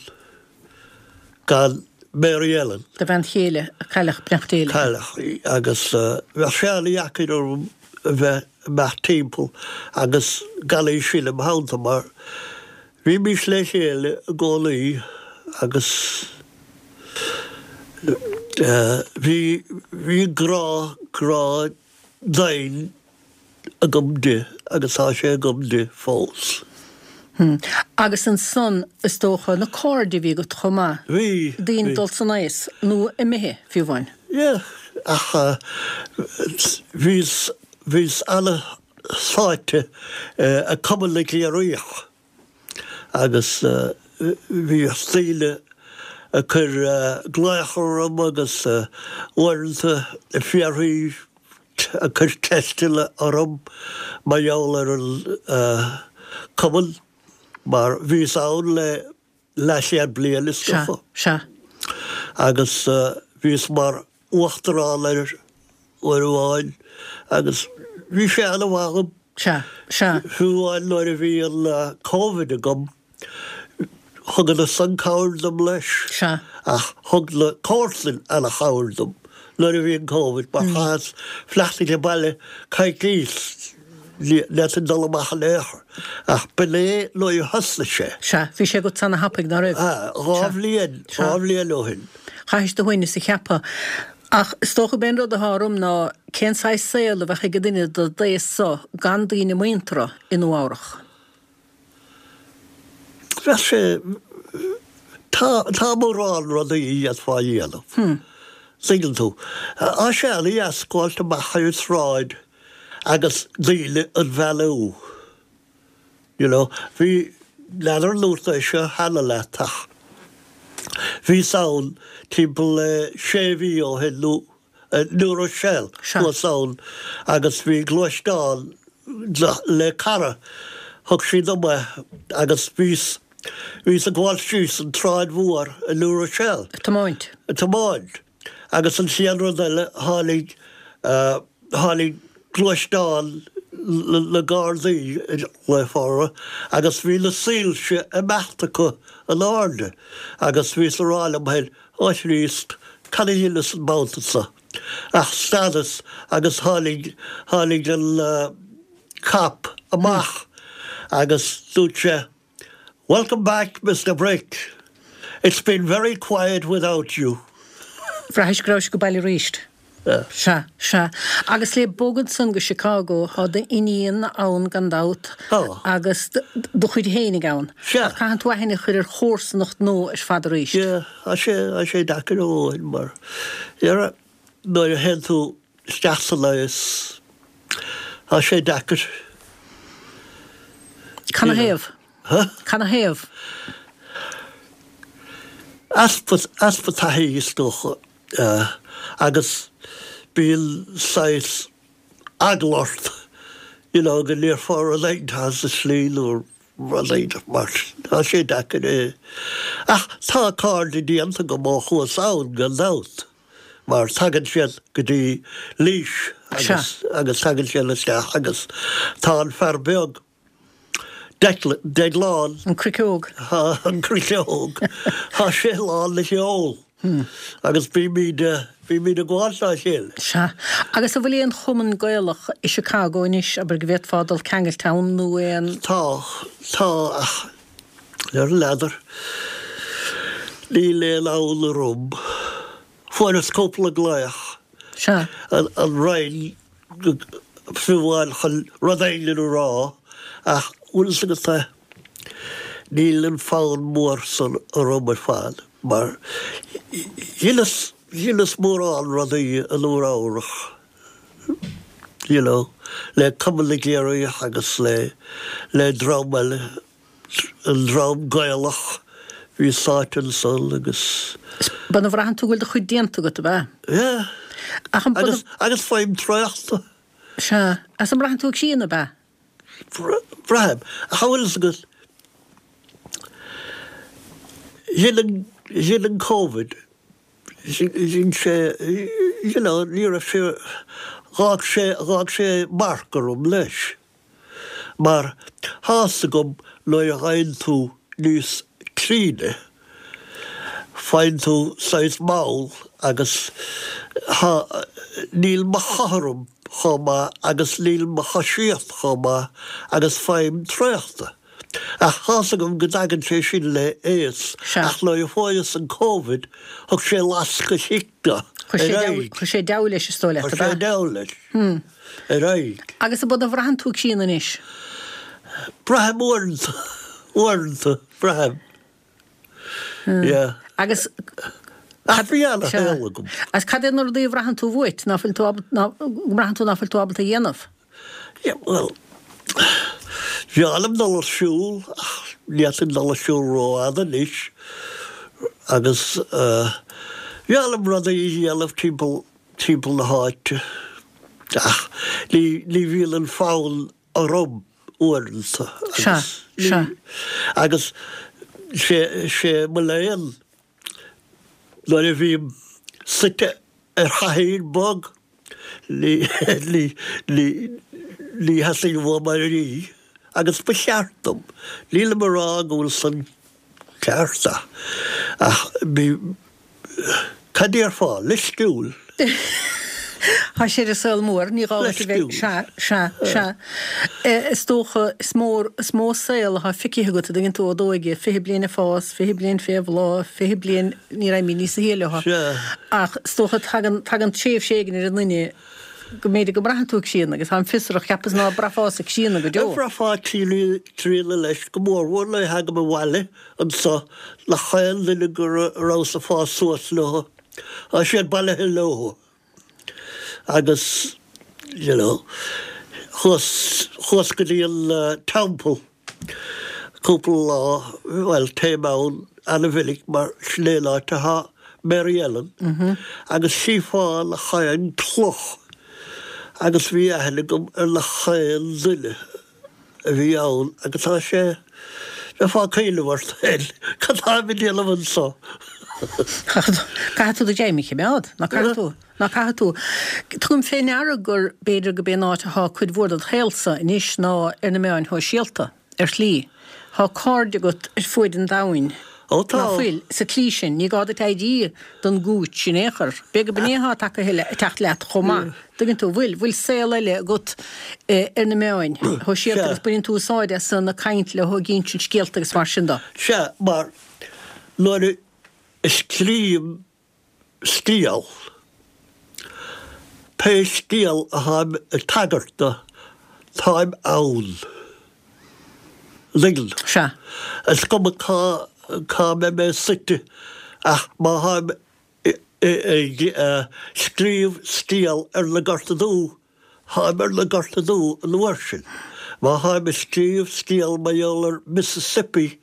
gan Mary Ellen. Do bhean chéile, a cailleadh, beannacht Dé léi. Cailleadh í agus bheadh sé an-dheacair orm a bheith amach timpeall agus gan í sin im theannta mar bhímís le chéile i gcónaí agus bhí, bhí grá, grá domhain agam di agus tá sé agam di fós. Hmm. Agus ansan, is dócha, na cairde a bhí agat chomh maith. Bhí. Daoine dul san aos, nó imithe, fiú amháin. Yeah, ach bhíos, bhíos ana-sáite i Cumann na gCiarraíoch agus bhíodh daoine ag cur glaoch orm agus uaireanta ag fiafraí ag cur ceisteanna orm mar gheall ar an cumann mar bhíos ann le leathchéad bliain is dócha. Sea, sea. Agus bhíos mar uachtarán air uair amháin agus bhí sé ana-mhaith dhom. Sea, sea. Fiú amháin nuair a bhí an Covid agam, Thugadar san cabhair dom leis. Sea. Ach thug na comharsain ana-chabhair dom nuair a bhí an Covid mar chaitheas fanacht age baile coicís, ní fhéadfainn dul amach in aon chor. Ach b'in é nuair a thosnaigh sé. Sea, bhí sé agat ana-thapaidh, ná raibh? Sea, dhá bhliain, dhá bhliain ó shin. Chaithis do shuaimhneas a cheapadh. Ach is dócha gurb é an rud atá orm ná cén saghas saol a bheadh ag duine de d'aos so gan daoine muinteartha i Nua Eabhrach? Bheadh sé, tá, tá mórán rudaí a d'fhéadfá a dhéanamh. Tuigeann tú. Tá sé ana-dheas gabháilt amach ar an tsráid agus daoine a bheannú. You know, bhí, n'fheadar an ndúirt é seo cheana leat ach bhíos ann timpeall le sé mhí ó shin nó New Rochelle, thuas ann agus bhí gluaisteán le cara, thug sí dom é agus bhíos, bhíos ag gabháil síos an tsráid mhór i New Rochelle. Ag tiomáint. Ag tiomáint. Agus an chéad rud eile, tháinig, tháinig gluaisteán na Gardaí glaofá orthu agus bhí na soilse ag imeacht acu in airde agus bhíos ag rá liom féin, Ó Chríost, cad a dheineas an babhta seo? Ach stadas agus tháinig, tháinig an cop amach agus dúirt sé, Welcome back, Mister Brick. It's been very quiet without you. Bhraithis go rabhais age baile arís. Sea, sea. Agus le bogadh ansan go Chicago, tá d'iníon ann gan dabht. Tá. Agus do chuid fhéinig ann. Sea. Ach caitheann tú aithne a chur ar chomharsanacht nua ar fad arís. Sea, tá sé, tá sé deacair a dhóthain mar, dhera, nuair a théann tú isteach san aos, tá sé deacair. Canathaobh? Huh? Canathaobh? Easpa, easpa taithí is dócha. Agus bíonn saghas eagla ort, you know, go ndéarfá rud éigin as an tslí nó rud éigin mar sin. Tá sé deacair é. Ach tá cairde déanta agam ó chuas ann, gan dabht, mar tagann siad go dtí Laois agus, agus tagann siad isteach agus tá an fear beag, Declan, Deaglán. An Chriceog. An Chriceog. Tá sé lán le ceol. Agus bímid, bímid ag gabháil dá chéile. Sea. Agus an bhfuil aon chumann Gaelach i Chicago anois, abair, go bhféadfá dul ceangailte ann nó aon. Tá, tá, ach ar an n'fheadar, níl aon fhonn orm. Fuaireas cúpla glaoch. Sea. An, an Roinn, fiú amháin chun rud éigin a rá, ach bhfuil fhios agat é, níl an fonn mór san orm ar fad. Mar dheineas, dheineas mórán rudaí i Nua Eabhrach, you know, le Cumann na gCiarraíoch agus le, le dream eile, an dream Gaelach, bhí sáite ansan agus. B'in a bhraitheann tú go bhfuil do chuid déanta agat, ab ea? Yeah. Ach an. Agus, agus faighim traochta. Sea. Agus an mbraitheann tú ag síneadh, ab ea? Braithim. Ach an bhfuil fhios agat, dhein an, dhein an Covid, dhein sé, you know, ní raibh sé, dh'fhág sé, dh'fhág sé marc orm leis. Mar thá's agam nuair a gheibheann tú níos críne, faigheann tú saghas mall agus thá, níl mo chothrom chomh maith agus níl mo choisíocht chomh maith agus faighim traochta. Ach thá's agam go dtagann sé sin le aos, ach nuair a fuaireas an Covid, thug sé lasc istigh do, ar aghaidh. Chuir sé deabhadh leis, is dóigh leat, ab ea? Chuir sé deabhadh leis, ar aghaidh. Agus ab ea, an mbraitheann tú críonna anois? Braithim uaireanta, uaireanta, braithim. Yeah. Agus Ach bhí ana-shaol agam. Agus cad é na rudaí a bhraitheann tú uait, ná fuil tú ábalta, ná, go mbraitheann tú ná fuil tú ábalta a dhéanamh? Yeah, bhuel, bhreá liom dul ar siúl, ach ní fhéadfainn dul ar siúl rófhada anois, agus bhreá liom rudaí a dhéanamh timpeall, timpeall na háite, ach ní, ní bhíonn an fonn orm uaireanta. Sea, sea. Agus sé, sé mo léan nuair a bhím suite ar chathaoir bog, ní, ní, ní, ní theastaíonn uaim éirí, agus ba cheart dom. Nílim ag rá go bhfuil san ceart ach, ach bhí, cad déarfá, leisciúil. Tá sé ar an saol mór, ní gá duit a bheith, sea, sea, sea. Is dócha, is mór, is mó saol atá feicthe agat, an dtuigeann tú, ó d'óige, fiche bliain ag fás, fiche bliain fé bhláth, fiche bliain, ní raibh mé níos sia leo. Ach is dócha, tagann, tagann tréimhse éigin ar an nduine go mb'fhéidir go mbraitheann tú críonna agus táim fiosrach, cheapas ná braithfeása críonna go deo. Bhraithfeá críonna leis, go mórmhór nuair a thagaim abhaile anso, nach aon duine go rabhas ag fás suas leo, tá siad bailithe leo. Agus, you know, chuas, chuas go dtí an teampall cúpla lá, bhuel, téim ann ana-mhinic mar sin é an áit atá Mary Ellen, agus chífeá nach aon cloch agus bhí aithne agam ar nach aon duine a bhí ann agus tá sé, bheifeá ag cuimhneamh ort féin, cad táim ag déanamh anso? Caithfidh tú do ghreim a choimeád, ná caithfidh tú? Ná caithfidh tú? Tugaim fé ndeara gur, b'fhéidir go b'é an áit athá cuid mhór dod shaolsa anois ná ar na meáin shóisialta, ar shlí. Thá cairde agat ar fuaid an domhain, Ó tá. ná fuil? Sa tslí sin, ní gá duit éirí don gcúits in aon chor. B'fhéidir go b'in é athá tagtha le, ag teacht leat chomh maith. Tuigeann tú, bhfuil, bhfuil saol eile agat ar na meáin shóisialta agus baineann tú úsáid as san ag caint leo, ag insint scéalta agus mar sin de. Sea, mar nuair a Scríobhaim scéal, pé scéal atáim ag tagairt do, táim ann. An dtuigeann tú? Sea. Is cuma cá, cá mbeidh mé suite ach má tháim ag scríobh scéal ar na Gorta Dubha, táim ar na Gorta Dubha an uair sin. Má tháim ag scríobh scéal mar gheall ar Mississippi,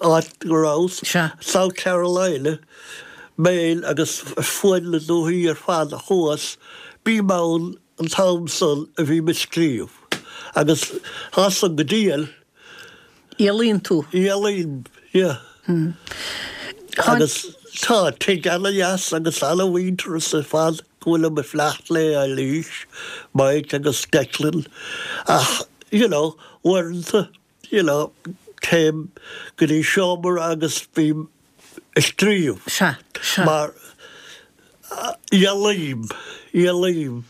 áit go rabhas, South Carolina, Maine agus fuaid na dúthaí ar fad a chuas, bím ann an t-am san a bhím ag scríobh. Agus tá san go diail. Éalaíonn tú. Éalaím, yeah. Agus tá tigh ana-dheas agus ana-mhuintearas ar fad go bhfuilim ag fanacht le Eilís, Mike agus Declan ach, you know, uaireanta, you know, téim go dtí seomra agus bím ag scríobh. Sea, sea. Mar éalaím, éalaím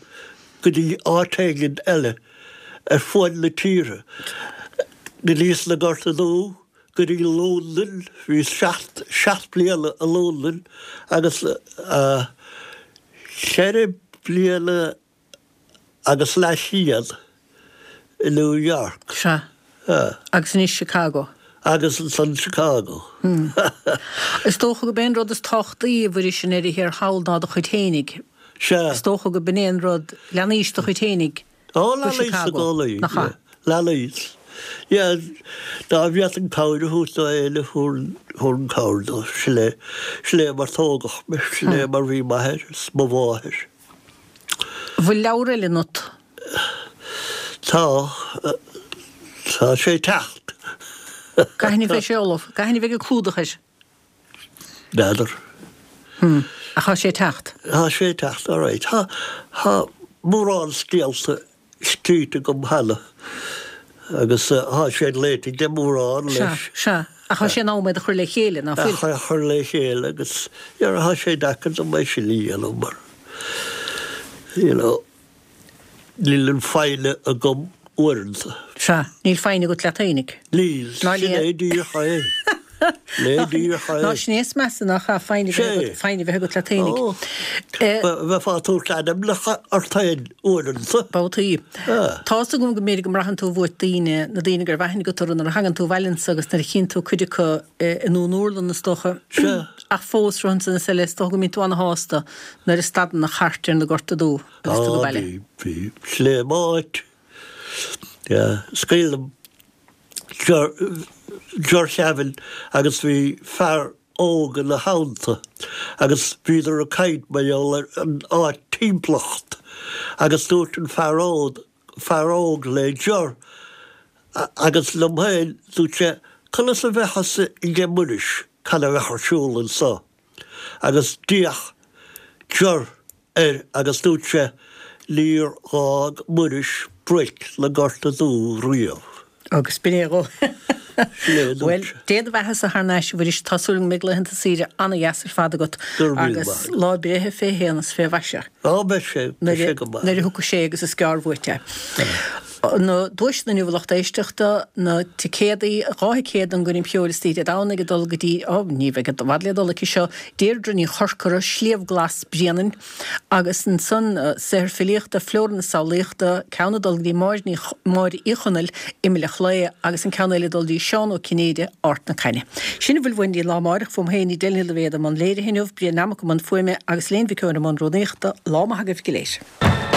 go dtí áit éigin eile ar fuaid na tíre, go dtí sna Gorta Dubha, go dtí Londain, bhíos seacht, seacht bliana i Londain agus ceithre bliana agus leathchéad i New York. Sea. Agus anois Chicago. Agus ansan Chicago. Is dócha go b'é an rud is tábhachtaí a Mhuiris i ndeireadh thiar thall ná do chuid fhéinig. Sea. Is dócha go b'in é an rud, leanaís do chuid fhéinig Ó, go leanaís i Chicago, gcónaí. nach ea? Leanaís. Yeah, dá bhféadfainn cabhair a thabhairt do éinne, thabharfainn cabhair dó. Sin é, sin é mar tógadh mé, sin é mar bhí m'athair is mo mháthair. Bhfuil leabhar eile ionat? Tá. Tá sé ag teacht. Cathain a bheidh sé ullamh? Cathain a bheidh an clúdach air? N'fheadar. Hmm. Ach tá sé ag teacht? Tá sé ag teacht, alright. Tá, tá mórán scéalta scríte agam cheana agus tá siad léite ag mórán leis. Sea, sea. Ach tá sé in am iad a chur le chéile, ná fuil? A chur le chéile agus tá sé deacair dom é sin a dhéanamh mar, you know, níl an foighne agam uaireanta. Sea, níl foighne agat leat fhéinig. Níl, sin é díreach é. Né díreach é. Ná sin é is measa ná cha foighne a bheith agat leat fhéinig. Bheifeá ag tabhairt ainmneacha ort féin uaireanta. Babhtaí. Tá's agam go mb'fhéidir go mbraitheann tú uait daoine, na daoine go raibh aithne agat orthu nuair a thagann tú abhaile anso agus nuair a chíonn tú cuid acu i nDún Úrlann is dócha. Ach fós, rud ansan is eile, is dócha go mbíonn tú ana-shásta nuair a stadann an chairt ar na Gorta Dubha agus tú ag baile. Á, bhí, bhí. Sin é m'áit. Is cuimhin liom Ger Kevin agus bhí fear óg ina theannta agus bhíodar ag caint mar gheall ar an áit timpeallacht agus dúirt an fear óg, fear óg le Ger agus liom féin, dúirt sé, conas a bheadh fhios aige Muiris cad a bheadh ar siúl anso? Agus d'fhéach Ger air agus dúirt sé, Níor dh'fhág Muiris broic na Gorta Dubha riamh. Agus b'in é dhó. Bhuel, Dé do bheatha-sa thar n-ais, a Mhuiris, tá súil agam go mbeidh laethanta saoire ana-dheas ar fad agat agus lá breithe fé shéan is fé mhaise. Á, beidh sé, beidh sé go maith. Nuair a thiocfaidh sé agus is gearr uait é. Na duaiseanna inniu a lucht éisteachta, na ticéadaí, dhá thicéad don gcoirm cheoil istoíche Dé Domhnaigh ag dul go dtí, á, ní bheidh i bhfad le dul aici seo, Deirdre Ní Chorcora, Sliabh Glas, Bréanainn. Agus ansan, saothar filíochta, Flóra na Samhlaíochta, ceann ag dul go dtí Máire Ní, Máire Uí Chonaill, Imill an Chlaí, agus an ceann eile ag dul dtí Seán Ó Cinnéide, Ard na Caithne. Sin a bhfuil uainn dtí an lá amáireach, fúm féin, Edel Ní Loibhéad i mbun léirithe inniu, Brian Nammock i mbun fuaime agus Léan Mhic Eoin i mbun rúnaíochta. Lá maith agaibh go léir.